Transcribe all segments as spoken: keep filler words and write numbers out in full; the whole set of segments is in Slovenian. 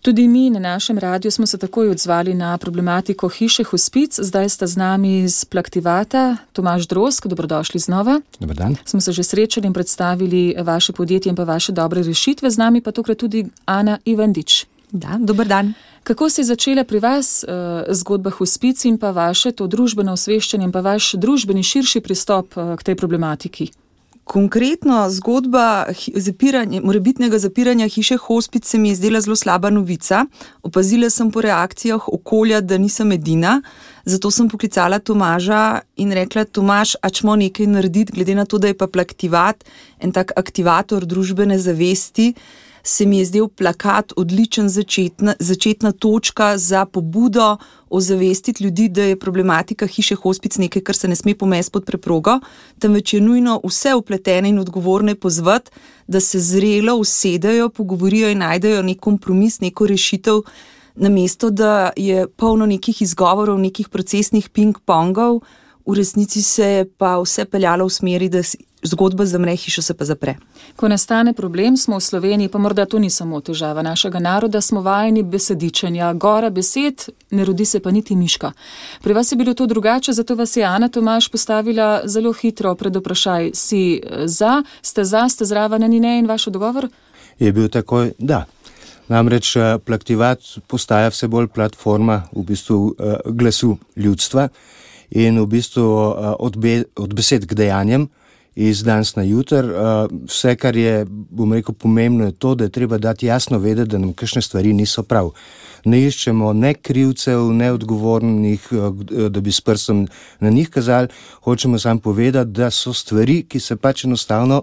Tudi mi na našem radiju smo se takoj odzvali na problematiko hiše Hospic. Zdaj sta z nami iz Plaktivata Tomaž Drozg, dobrodošli znova. Dobar dan. Smo se že srečali in predstavili vaše podjetje in pa vaše dobre rešitve. Z nami pa tokrat tudi Ana Ivandič. Da, dober dan. Kako se je začela pri vas uh, zgodba Hospic in pa vaše to družbeno osveščanje in pa vaš družbeni širši pristop uh, k tej problematiki? Konkretno zgodba zapiranja, morebitnega zapiranja hiše Hospic se mi je zdela zelo slaba novica. Opazila sem po reakcijah okolja, da nisem edina, zato sem poklicala Tomaža in rekla: Tomaž, a čmo nekaj narediti, glede na to, da je pa Plaktivat en tak aktivator družbene zavesti, se mi je zdel plakat odličen začetna, začetna točka za pobudo ozavestiti ljudi, da je problematika hiše Hospic nekaj, kar se ne sme pomesti pod preprogo, temveč je nujno vse vpletene in odgovorne pozvati, da se zrelo usedejo, pogovorijo in najdejo nek kompromis, neko rešitev, namesto da je polno nekih izgovorov, nekih procesnih ping-pongov, v resnici se je pa vse peljalo v smeri, da zgodba zamre, hiša se pa zapre. Ko nastane problem, smo v Sloveniji, pa morda to ni samo težava našega naroda, smo vajeni besedičenja, gora besed, ne rodi se pa niti miška. Pri vas je bilo to drugače, zato vas je Ana Tomaž postavila zelo hitro pred vprašaj. Si za, ste za, ste zraven, ni ne in vaš odgovor? Je bil takoj, da. Namreč Plaktivat postaja vse bolj platforma v bistvu glasu ljudstva in v bistvu od, be, od besed k dejanjem iz danes na jutr. Vse, kar je, bom rekel, pomembno je to, da je treba dati jasno vedeti, da nam kakšne stvari niso prav. Ne iščemo ne krivcev, ne odgovornih, da bi s prstom na njih kazali. Hočemo samo povedati, da so stvari, ki se pač enostavno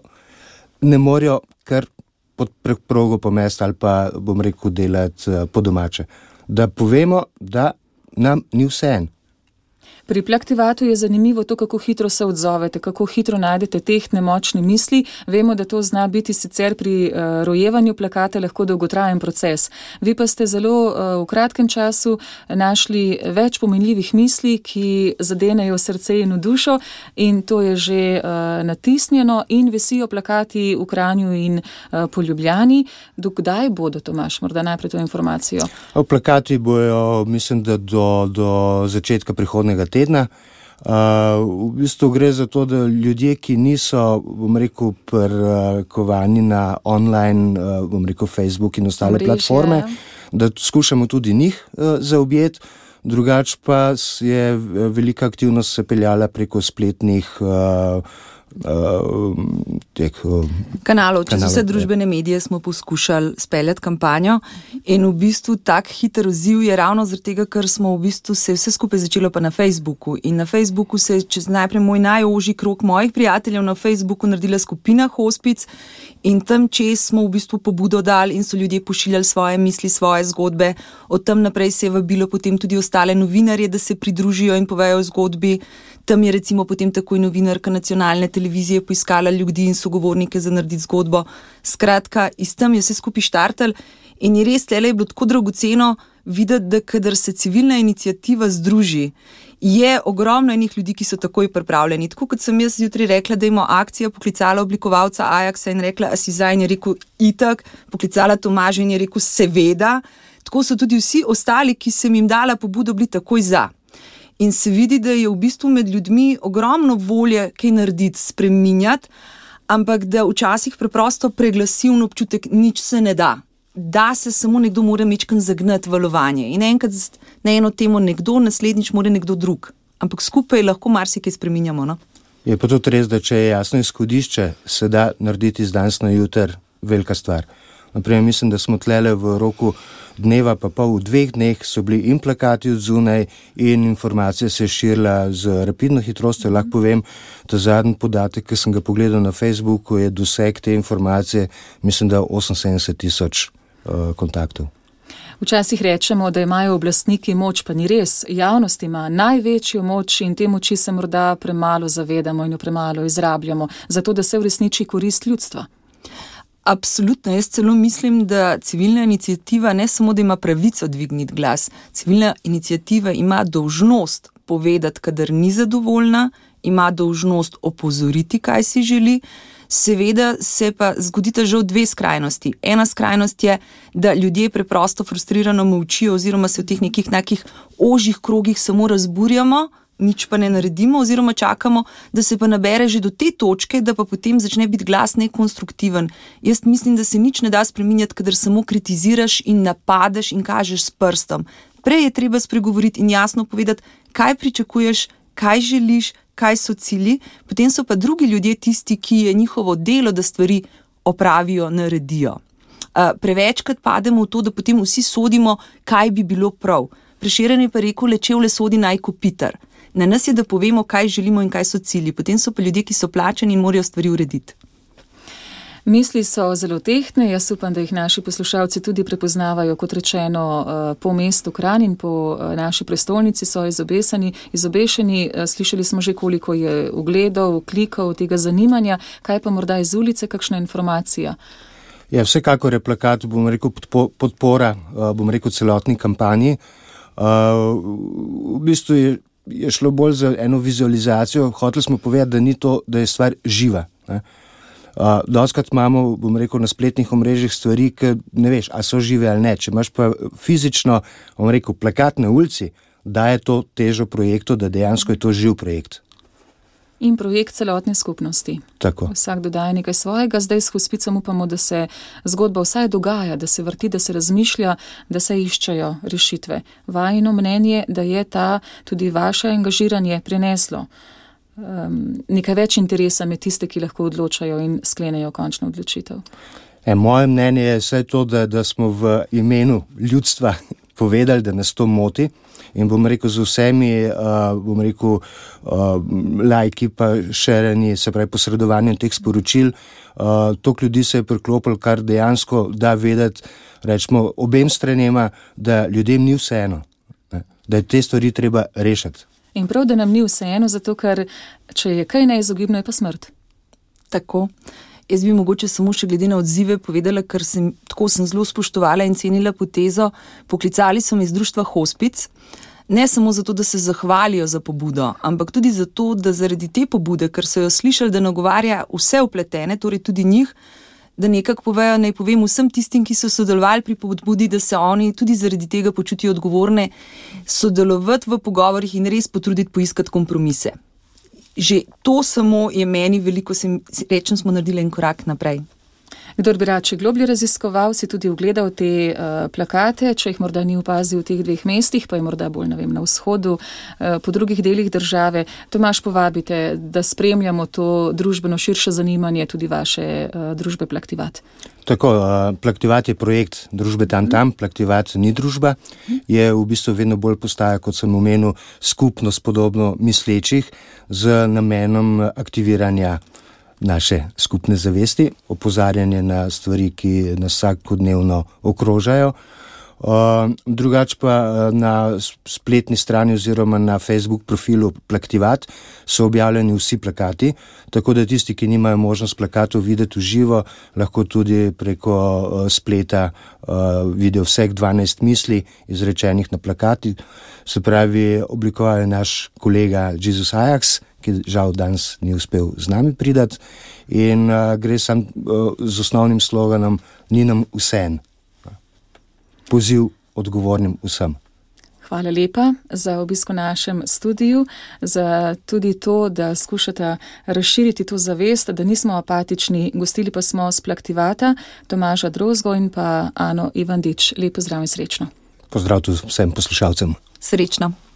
ne morejo kar pod preprogo pomesti ali pa, bom rekel, delati po domače. Da povemo, da nam ni vseeno. Pri Plaktivatu je zanimivo to, kako hitro se odzovete, kako hitro najdete tehtne močne misli. Vemo, da to zna biti sicer pri uh, rojevanju plakata lahko dolgotrajen proces. Vi pa ste zelo uh, v kratkem času našli več pomenljivih misli, ki zadenejo srce in v dušo, in to je že uh, natisnjeno in visijo plakati v Kranju in uh, po Ljubljani. Dokdaj bodo, Tomaž, morda najprej to informacijo? Plakati bojo, mislim, da do, do začetka prihodnega tedna. Uh, v bistvu gre za to, da ljudje, ki niso, bom rekel, prkovani na online, uh, bom rekel, Facebook in ostale Mrež, platforme, ja. Da skušamo tudi njih uh, zaobjeti. Drugač pa je velika aktivnost se peljala preko spletnih uh, Uh, tek, uh, kanalov, čez vse družbene medije smo poskušali speljati kampanjo in v bistvu tak hiter odziv je ravno zaradi tega, ker smo v bistvu se vse skupaj začelo pa na Facebooku in na Facebooku se je čez najprej moj najožji krog mojih prijateljev na Facebooku naredila skupina Hospic in tam čez smo v bistvu pobudo dali in so ljudje pošiljali svoje misli, svoje zgodbe. Od tam naprej se je vabilo potem tudi ostale novinarje, da se pridružijo in povejo o zgodbi. Tam je recimo potem takoj novinarka nacionalne televizije poiskala ljudi in sogovornike za narediti zgodbo. Skratka, iz tam je vse skupaj štartal in je res tlele je bilo tako dragoceno videti, da kadar se civilna iniciativa združi, je ogromno enih ljudi, ki so takoj pripravljeni. Tako kot sem jaz jutri rekla, da ima akcija, poklicala oblikovalca Ajaxa in rekla, a si za, in je rekel itak, poklicala Tomaža in je rekel seveda. Tako so tudi vsi ostali, ki sem jim dala pobudo, bili takoj za. In se vidi, da je v bistvu med ljudmi ogromno volje kaj narediti, spreminjati, ampak da včasih preprosto preglasivn občutek nič se ne da. Da se samo nekdo mora mečkan zagnati valovanje. In enkrat na eno temo nekdo, naslednjič mora nekdo drug. Ampak skupaj lahko marsikaj spreminjamo. No? Je pa tudi res, da če je jasno izhodišče, se da narediti z danes na jutr velika stvar. Naprimer, mislim, da smo tlele v roku dneva, pa pol v dveh dneh so bili in plakati od zunaj in informacija se je širila z rapidno hitrostjo. Lahko povem, da zadnji podatek, ki sem ga pogledal na Facebooku, je doseg te informacije, mislim, da oseminsedemdeset tisoč uh, kontaktov. Včasih rečemo, da imajo oblastniki moč, pa ni res. Javnost ima največjo moč in te moči se morda premalo zavedamo in jo premalo izrabljamo, zato da se uresniči korist ljudstva. Absolutno, jaz celo mislim, da civilna iniciativa ne samo, da ima pravico dvigniti glas, civilna iniciativa ima dolžnost povedati, kadar ni zadovoljna, ima dolžnost opozoriti, kaj si želi, Seveda se pa zgodita žal dve skrajnosti. Ena skrajnost je, da ljudje preprosto frustrirano molčijo oziroma se v teh nekih nekih ožjih krogih samo razburjamo, nič pa ne naredimo oziroma čakamo, da se pa nabere že do te točke, da pa potem začne biti glas nekonstruktiven. Jaz mislim, da se nič ne da spreminjati, kadar samo kritiziraš in napadeš in kažeš s prstom. Prej je treba spregovoriti in jasno povedati, kaj pričakuješ, kaj želiš, kaj so cilji, potem so pa drugi ljudje tisti, ki je njihovo delo, da stvari opravijo, naredijo. Prevečkrat pademo v to, da potem vsi sodimo, kaj bi bilo prav. Prešeren je pa rekel, le čevlje sodi naj kopitar. Na nas je, da povemo, kaj želimo in kaj so cilji. Potem so pa ljudje, ki so plačani in morajo stvari urediti. Misli so zelo tehtne, jaz upam, da jih naši poslušalci tudi prepoznavajo, kot rečeno, po mestu Kranj in po naši prestolnici so izobesani, izobešeni. Slišali smo že, koliko je ugledov, klikov, tega zanimanja. Kaj pa morda iz ulice, kakšna informacija? Ja, vsekakor je plakat, bom rekel, podpora, bom rekel, celotni kampanji. V bistvu je, je šlo bolj za eno vizualizacijo. Hoteli smo povedati, da ni to, da je stvar živa, ne. Uh, Doskrat imamo, bom rekel, na spletnih omrežjih stvari, ki ne veš, a so žive ali ne. Če imaš pa fizično, bom rekel, plakat na ulici, daje to težo projektu, da dejansko je to živ projekt. In projekt celotne skupnosti. Tako. Vsak dodaja nekaj svojega, zdaj s Hospicom upamo, da se zgodba vsaj dogaja, da se vrti, da se razmišlja, da se iščejo rešitve. Vajino mnenje, da je ta tudi vaše angažiranje prineslo Um, nekaj več interesa med tiste, ki lahko odločajo in sklenejo končno odločitev. E, moje mnenje je vse to, da, da smo v imenu ljudstva povedali, da nas to moti in bom rekel z vsemi, uh, bom rekel, uh, lajki pa šereni, se pravi posredovanjem teh sporočil, uh, toliko ljudi se je priklopilo, kar dejansko da vedeti, rečemo, obem stranema, da ljudem ni vseeno, ne? Da je te stvari treba rešiti. In prav, da nam ni vseeno, zato ker če je kaj neizogibno, je pa smrt. Tako. Jaz bi mogoče samo še glede na odzive povedala, ker sem, tako sem zelo spoštovala in cenila potezo. Poklicali so me iz društva Hospic, ne samo zato, da se zahvalijo za pobudo, ampak tudi zato, da zaradi te pobude, ker so jo slišali, da nagovarja vse vpletene, torej tudi njih, da nekako povejo, naj povem vsem tistim, ki so sodelovali pri pobudi, da se oni tudi zaradi tega počutijo odgovorne, sodelovati v pogovorih in res potruditi poiskati kompromise. Že to samo je meni veliko, sem, rečem, smo naredili en korak naprej. Kdor bi rad še globlje raziskoval, si tudi ugledal te uh, plakate, če jih morda ni opazil v teh dveh mestih, pa je morda bolj, ne vem, na vzhodu, uh, po drugih delih države. Tomaž, povabite, da spremljamo to družbeno širše zanimanje tudi vaše uh, družbe Plaktivat. Tako, uh, Plaktivat je projekt družbe Tam Tam, Plaktivat ni družba, je v bistvu vedno bolj postaja, kot sem omenil, skupnost podobno mislečih z namenom aktiviranja naše skupne zavesti, opozarjanje na stvari, ki nas vsakodnevno okrožajo. Uh, drugače pa na spletni strani oziroma na Facebook profilu Plaktivat so objavljeni vsi plakati, tako da tisti, ki nimajo možnost plakatov videti v živo, lahko tudi preko uh, spleta uh, vidijo vseh dvanajst misli izrečenih na plakati. Se pravi, oblikoval je naš kolega Jesus Ajax, ki žal danes ni uspel z nami pridati in uh, gre sam uh, z osnovnim sloganom Ni nam vseeno. Poziv odgovornim vsem. Hvala lepa za obisk v našem studiu, za tudi to, da skušate razširiti to zavest, da nismo apatični. Gostili pa smo s Plaktivata Tomaža Drozgo in pa Ano Ivandič. Lep pozdrav in srečno. Pozdrav tudi vsem poslušalcem. Srečno.